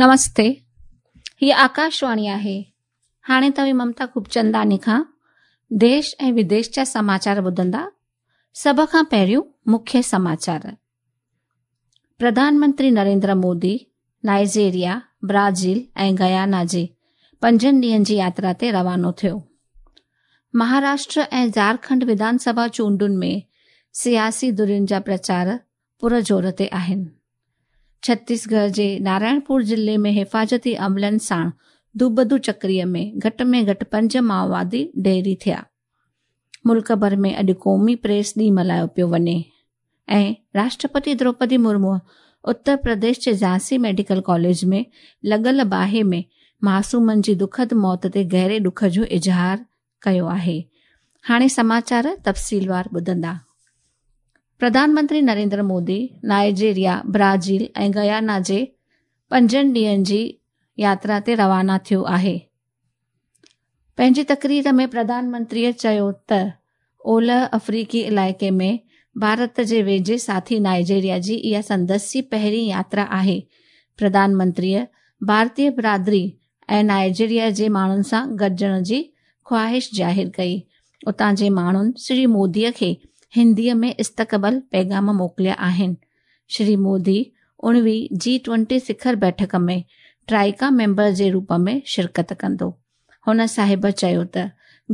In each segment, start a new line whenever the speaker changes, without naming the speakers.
نمستي، هيء آڪاشواڻي آهي. هاڻي توهين ممتا خوبچنداڻي کان ديش ۽ وديش جا سماچار ٻڌندا. سڀ کان پهريون مکيه سماچار. پرڌان منتري Narendra Modi Nigeria, Brazil ۽ Guyana جي پنجن ڏينهن جي ياترا تي روانو ٿيو. مهاراشٽر ۽ جهارکنڊ وڌان سڀا چونڊن ۾ سياسي ڌرين جا پرچار پر زور تي آهن. ڇتيسڳڙهه جي نارائڻپور ضلعي ۾ حفاظتي عملن ساڻ دوبدو چڪريء ۾ گهٽ ۾ گهٽ پنج مائووادي ڍيري ٿيا. ملڪ ڀر ۾ اڄ قومي پريس ڏينهن ملهايو پيو وڃي ۽ راشٽرپتي دروپدي مرموء اتر پرديش جي جهانسي ميڊيڪل ڪاليج ۾ لڳل باهه ۾ معصومن جي دکد موت تي گهري ڏک جو اظهار ڪيو آهي. هاڻي سماچار تفصيلوار ٻڌندا. پرڌان منتري Narendra Modi Nigeria, Brazil ۽ Guyana جي پنجن ڏينهن جي ياترا تي روانا ٿيو آهي. پنهنجي تقرير ۾ پرڌان منتريء چيو ته اولهه آفريقي علائقي ۾ ڀارت جي ويجهي ساٿي نائيجيريا جي اها سندس جي پهرين ياترا آهي. پرڌان منتريء ڀارتي برادري ۽ نائيجيريا جي ماڻهن سان گڏجڻ جي خواهش ظاهر ڪئي. اتان جي ماڻهن شري مودي کي هنديء ۾ استقبال پيغام موڪليا آهن. شري مودي اڻويهه جي ٽوئنٽي سکر بيٺڪ ۾ ٽرائيڪا ميمبر جي روپ ۾ شرڪت ڪندو. هن صاحب چيو ته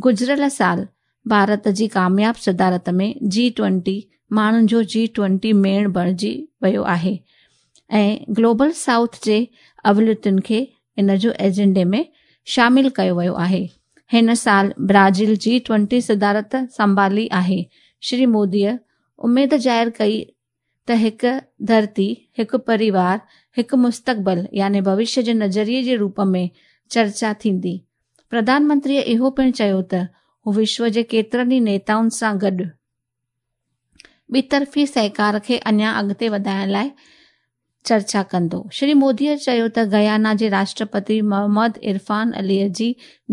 گذريل سال ڀارت جي ڪامياب صدارت ۾ جي ٽوئنٽي ماڻهن جو جي ٽوئنٽي ميڙ بڻجي ويو آهي ۽ گلوبل سائوٿ جي اوليتن کي ان جو ايجنڊي ۾ شامل ڪيو ويو آهي. هن سال برازيل جي ٽوئنٽي صدارت سنڀالي آهي. شري موديء اميد ظاهر ڪئي ته هڪ ڌرتي، هڪ پريوار، هڪ مستقبل يعني ڀوشيه جي نظريي جي روپ ۾ چرچا ٿيندي. پرڌان منتريء اهو پڻ چيو ته هو وشو جي ڪيترن ئي نيتائن سان گڏ ٻطرفي سهڪار کي اڃا اڳتي وڌائڻ لاء چرچا ڪندو. شري موديء چيو ته گيانا جي راشٽرپتي محمد عرفان عليء جي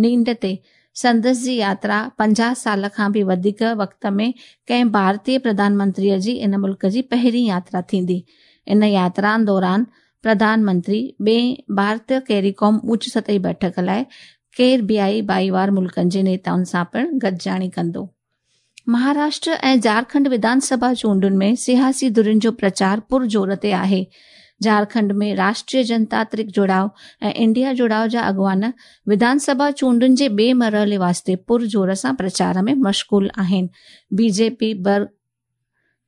نينڍ تي سندس جي ياترا 50 سال کان به وڌيڪ وقت ۾ ڪنهن ڀارتي پرڌان منتريء جي ان ملڪ جي پهرين ياترا ٿيندي. ان ياترا دوران پرڌان منتري ٻئين ڀارت ڪيريڪوم اوچ سطحي بيٺڪ لاء ڪيربيائي ڀائيوار ملڪن جي نيتائن سان پڻ گڏجاڻي ڪندو. مهاراشٽر ۽ جهارکنڊ وڌان سڀا چونڊن ۾ سياسي ڌرين جو پرچار پر زور تي آهي. جهارکنڊ ۾ راشٽريه جنتاترڪ جڙاء ۽ انڊيا جڙاء جا اڳواڻ وڌان سڀا چونڊن جي ٻئي مرحلي واسطي پر زور سان پرچار ۾ مشغول آهن. بي جي پي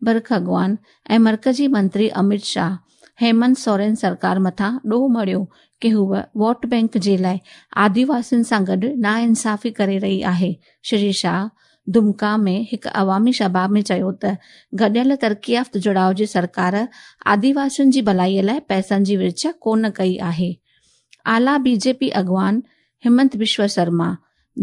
برک اڳواڻ ۽ مرڪزي منتري اميت شاهه هيمنت سورين سرڪار مٿان ڏوهه مڙهيو ڪي هوء ووٽ بئنڪ جي لاء آديواسين سان گڏ ناانصافي ڪري رهي آهي. شري شاهه دمڪا ۾ هڪ عوامي سڀا ۾ چيو ته گڏيل ترقي يافته جڙاء جي سرڪار آديواسين جي ڀلائي لاء پئسن جي ورڇ ڪونه ڪئي آهي. اعليٰ بي جي پي اڳواڻ همنت بشو شرما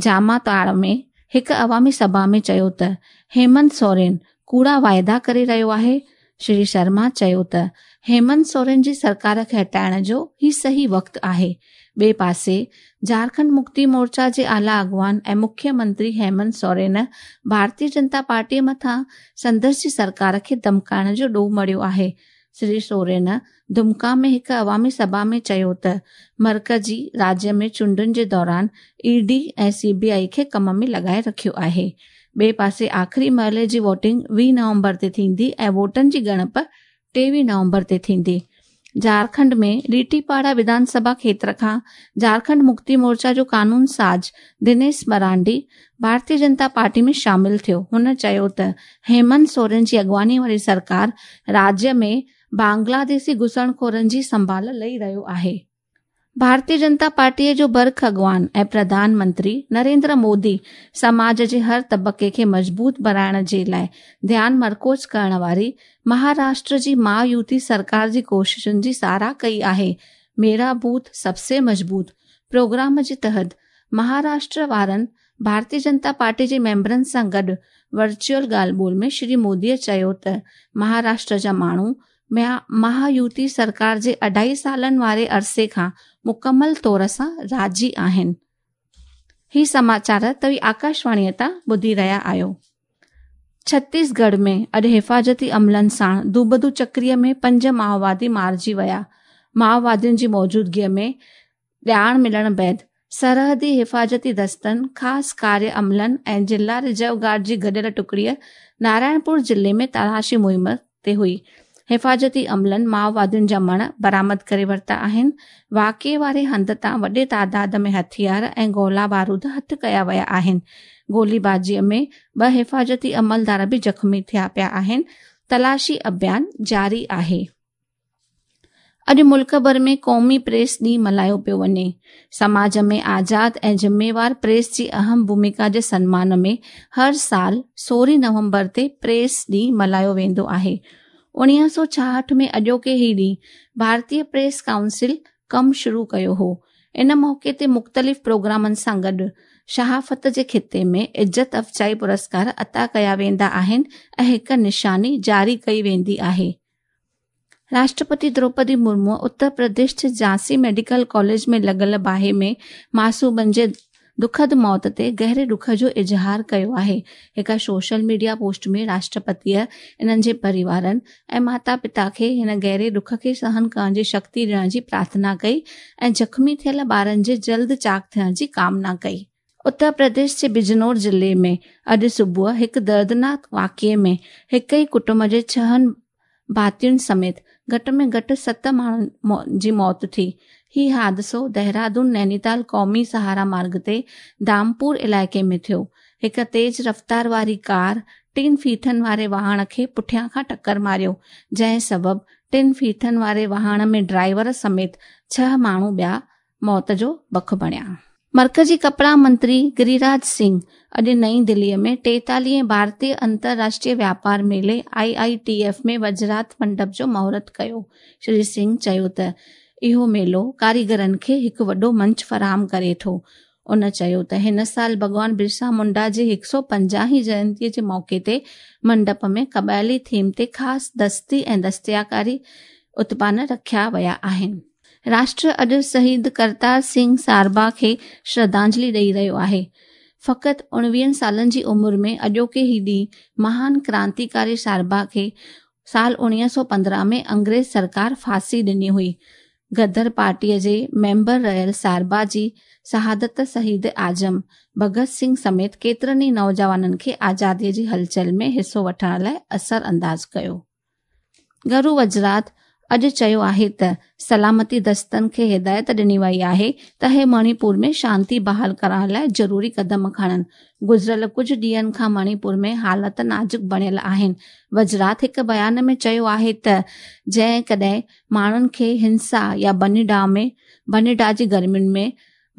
جامع تاڙ ۾ هڪ عوامي سڀا ۾ چيو ته هيمنت سورين ڪوڙا واعدا ڪري رهيو آهي. شري شرما چيو ته هيمنت سورين جي سرڪار کي هٽائڻ جو هي صحيح وقت آهي. ٻئي پاسي جهارکنڊ مڪتي مورچا جي اعليٰ اڳواڻ ۽ مکيه منتري هيمنت سورين ڀارتي جنتا پارٽي مٿان سندس جي سرڪار کي ڌمڪائڻ جو ڏوهه مڙهيو آهي. شري سورين دمڪا ۾ هڪ عوامي سڀا ۾ چيو ته مرڪزي راڄ ۾ چونڊن جي دوران اي ڊي ۽ سي بي آء کي ڪم ۾ لڳائي رکيو آهي. ٻئي پاسي آخري مرحلي جي ووٽنگ 20 نومبر تي ٿيندي ۽ ووٽن جي ڳڻپ 23 نومبر تي ٿيندي. جهارکنڊ ۾ ريٽي پاڙا وڌان سڀا کيتر کان جهارکنڊ مڪتي مورچا جو قانون ساز دنيش مرانڊي ڀارتي جنتا پارٽي ۾ شامل ٿيو. هن چيو ته هيمنت سورين جي اڳواڻي واري سرڪار راڄ ۾ بنگلاديشي گهسڻخورن جي سنڀال لهي رهيو آهي. ڀارتي جنتا پارٽيء جو برک اڳواڻ ۽ پرڌان منتري نريندر مودي سماج جي هر طبقي کي مضبوط بڻائڻ جي لاء ڌيان مرڪوز ڪرڻ واري مهاراشٽر جي مهايوتي سرڪار جي ڪوششن جي ساراهه ڪئي آهي. ميرا بوٿ سب سي مضبوط پروگرام جي تحت مهاراشٽر وارن ڀارتي جنتا پارٽي جي ميمبرن سان گڏ ورچوئل ڳالهه ٻولهه ۾ شري مودي چيو ته مهاراشٽر جا ماڻهو مهايوتي سرڪار جي اڍائي سالن واري عرصي کان مڪمل طور سان راضي آهن. هي سماچار توهين آڪاشواڻيء تان ٻڌي رهيا آهيو. ڇتيسڳڙهه ۾ اڄ حفاظتي عملن ساڻ دوبدو چڪريء ۾ پنج مائووادي مارجي ويا. مائووادين جي موجودگيء ۾ ڄاڻ ملڻ بعد سرحدي حفاظتي دستن، خاص ڪاري عملن ۽ ضلع رزرو گارڊ جي گڏيل ٽڪڙي نارائڻپور ضلعي ۾ تلاشي مهم تي هئي. حفاظتي عملن مائووادين جا مڻ برآمد ڪري ورتا آهن. واقعي واري هنڌ تان وڏي تعداد ۾ هٿيار ۽ گولا بارود هٿ ڪيا ويا آهن. گوليبازيء ۾ ٻه حفاظتي عملدار به زخمي ٿيا پيا آهن. تلاشي اڀيان جاري آهي. اڄ ملڪ ڀر ۾ قومي پريس ڏينهن ملهايو پيو وڃي. سماج ۾ آزاد ۽ ذميوار پريس جي اهم ڀوميڪا جي سنمان ۾ هر سال 16 نومبر تي پريس ڏينهن ملهايو ويندو آهي. 1966 ۾ اڄوڪي هي ڏينهن ڀارتي پريس ڪائونسل ڪم شروع ڪيو هو. ان موقعي تي مختلف پروگرامن سان گڏ صحافت جي خطي ۾ عزت افزائي پرسڪار عطا ڪيا ويندا آهن ۽ هڪ نشاني جاري ڪئي ويندي آهي. راشٽرپتي دروپدي مرمو اتر پرديش جي جهانسي ميڊيڪل ڪاليج ۾ لڳل باهه ۾ معصومن جي دکد موت تي گهري ڏک جو اظهار ڪيو آهي. هڪ سوشل ميڊيا پوسٽ ۾ راشٽرپتيء انهن جي پريوارن ۽ ماتا پتا کي هن گهري ڏک کي سهن ڪرڻ جي شڪتي ڏيڻ جي پرارٿنا ڪئي ۽ زخمي ٿيل ٻارن جي جلد چاق ٿيڻ جي ڪامنا ڪئي. اتر پرديش جي بجنور ضلعي ۾ اڄ صبح هڪ دردناڪ واقعي ۾ هڪ ئي ڪٽنب جي ڇهن ڀاتين سميت گهٽ ۾ گهٽ ست ماڻهن جي موت ٿي. هي حادثو دهرادون نينيتال قومي سهارا مارگ تي دامپور علائقي ۾ ٿيو. هڪ تيز رفتار واري ڪار ٽن ڦيٿن واري واهڻ کي پٺيان کان ٽڪر ماريو، جنهن سبب ٽن ڦيٿن واري واهڻ ۾ ڊرائيور سميت ڇهه ماڻهو ٻيا موت جو بک بڻيا. مرڪزي ڪپڙا منتري گريراج سنگهه اڄ نئين دهليء ۾ ٽيتاليهين ڀارتي انترراشٽريه واپار ميلي، آء I T F, ۾ وزارت منڊپ جو مهورت ڪيو. شري سنگهه چيو ته اهو ميلو ڪاريگرن کي هڪ وڏو منچ فراهم ڪري ٿو. ان چيو ته هن سال ڀڳوان برسا منڊا جي 150 هين جينتي جي موقعي تي منڊپ ۾ قبائلي ٿيم تي خاص دستي ۽ دستياڪاري اتپان رکيا ويا آهن. راشٽر اڄ شهيد ڪرتار سنگهه ساربا کي شرڌانجلي ڏئي رهيو آهي. فقط اڻويهن سالن جي عمر ۾ اڄوڪي هي ڏينهن مهان ڪرانتيڪاري ساربا کي سال 1915 ۾ انگريز سرڪار ڦاسي ڏني هئي. غدر پارٽيء جي ميمبر رهيل ساربا جي شهادت شهيد اعظم ڀڳت سنگهه سميت ڪيترن ئي نوجوانن کي آزاديء جي هلچل ۾ حصو وٺڻ لاء اثر انداز ڪيو. گهرو وزارت اڄ چيو آهي ته سلامتي دستن کي هدايت ڏني وئي آهي ته اهي مڻي پور ۾ شانتي بحال ڪرڻ لاء ضروري قدم کڻن. گذريل ڪجهه ڏينهن کان مڻي پور ۾ حالت نازڪ بڻيل آهن. وزارت هڪ بيان ۾ چيو آهي ته جيڪڏهن ماڻهن کي هنسا يا ڀڃ ڊاهه جي گرمين ۾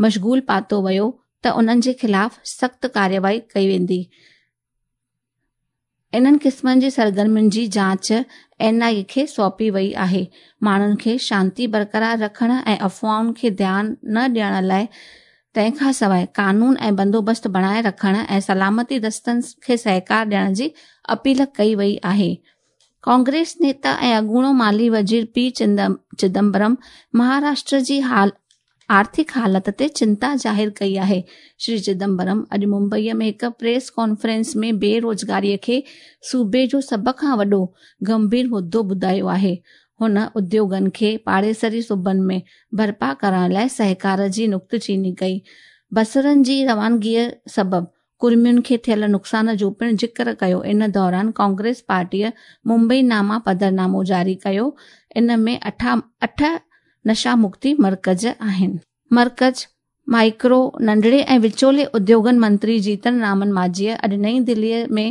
مشغول پاتو ويو ته انهن جي خلاف سخت ڪارروائي ڪئي ويندي. انهن قسمن جي سرگرمين جي جاچ اين آء اي کي سونپي وئي آهي. ماڻهن کي شانتي برقرار رکڻ ۽ افواهن کي ڌيان نه ڏيڻ لاء تنهن کان سواء قانون ۽ بندوبست بڻائي رکڻ ۽ سلامتي دستن کي سهڪار ڏيڻ جي اپيل ڪئي وئي آهي. ڪانگريس نيتا ۽ اڳوڻو مالي وزير پي چدمبرم مهاراشٽر جي آرٿڪ حالت تي چنتا ظاهر ڪئي آهي. شري چدمبرم اڄ ممبئي ۾ هڪ پريس ڪانفرنس ۾ بي روزگاري کي صوبي جو سڀ کان وڏو گنڀير مدو ٻڌايو آهي. هن اديوگن کي پاڙيسري صوبن ۾ برپا ڪرڻ لاء سهڪار جي نڪتچيني ڪئي. بصرن جي روانگيء سبب ڪڙمين کي ٿيل نقصان جو پڻ ذڪر ڪيو. ان دوران ڪانگريس پارٽيء ممبئي ناما پڌرنامو جاري ڪيو. ان ۾ اٺ نشا مڪتي مرڪز آهن. مرڪز، مائيڪرو، ننڍڙي ۽ وچولي اديوگن منتري جيتن رامن مانجهيء اڄ نئين دهليء ۾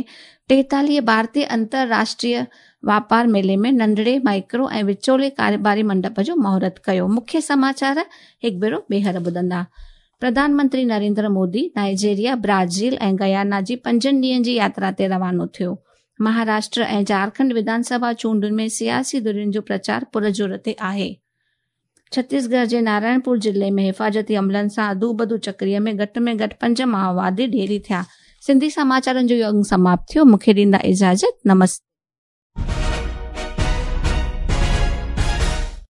43 ڀارتي انترراشٽريه واپار ميلي ۾ ننڍڙي، مائيڪرو ۽ وچولي ڪاروباري منڊپ جو مهورت ڪيو. مکيه سماچار هڪ ڀيرو ٻيهر ٻڌندا. پرڌان منتري Narendra Modi Nigeria, Brazil ۽ Guyana جي پنجن ڏينهن جي ياترا تي روانو ٿيو. مهاراشٽر ۽ جهارکنڊ وڌان سڀا چونڊن ۾ سياسي ڌرين جو پرچار پرزور تي آهي. ڇتيسڳڙهه جي نارائڻپور ضلعي ۾ حفاظتي عملن سان اڌوبڌو چڪري ۾ گهٽ ۾ گهٽ پنج مائووادي ڍيري ٿيا. سنڌي سماچارن جو اهو انگ سماپت ٿيو. مون کي ڏيندا اجازت. نمستي.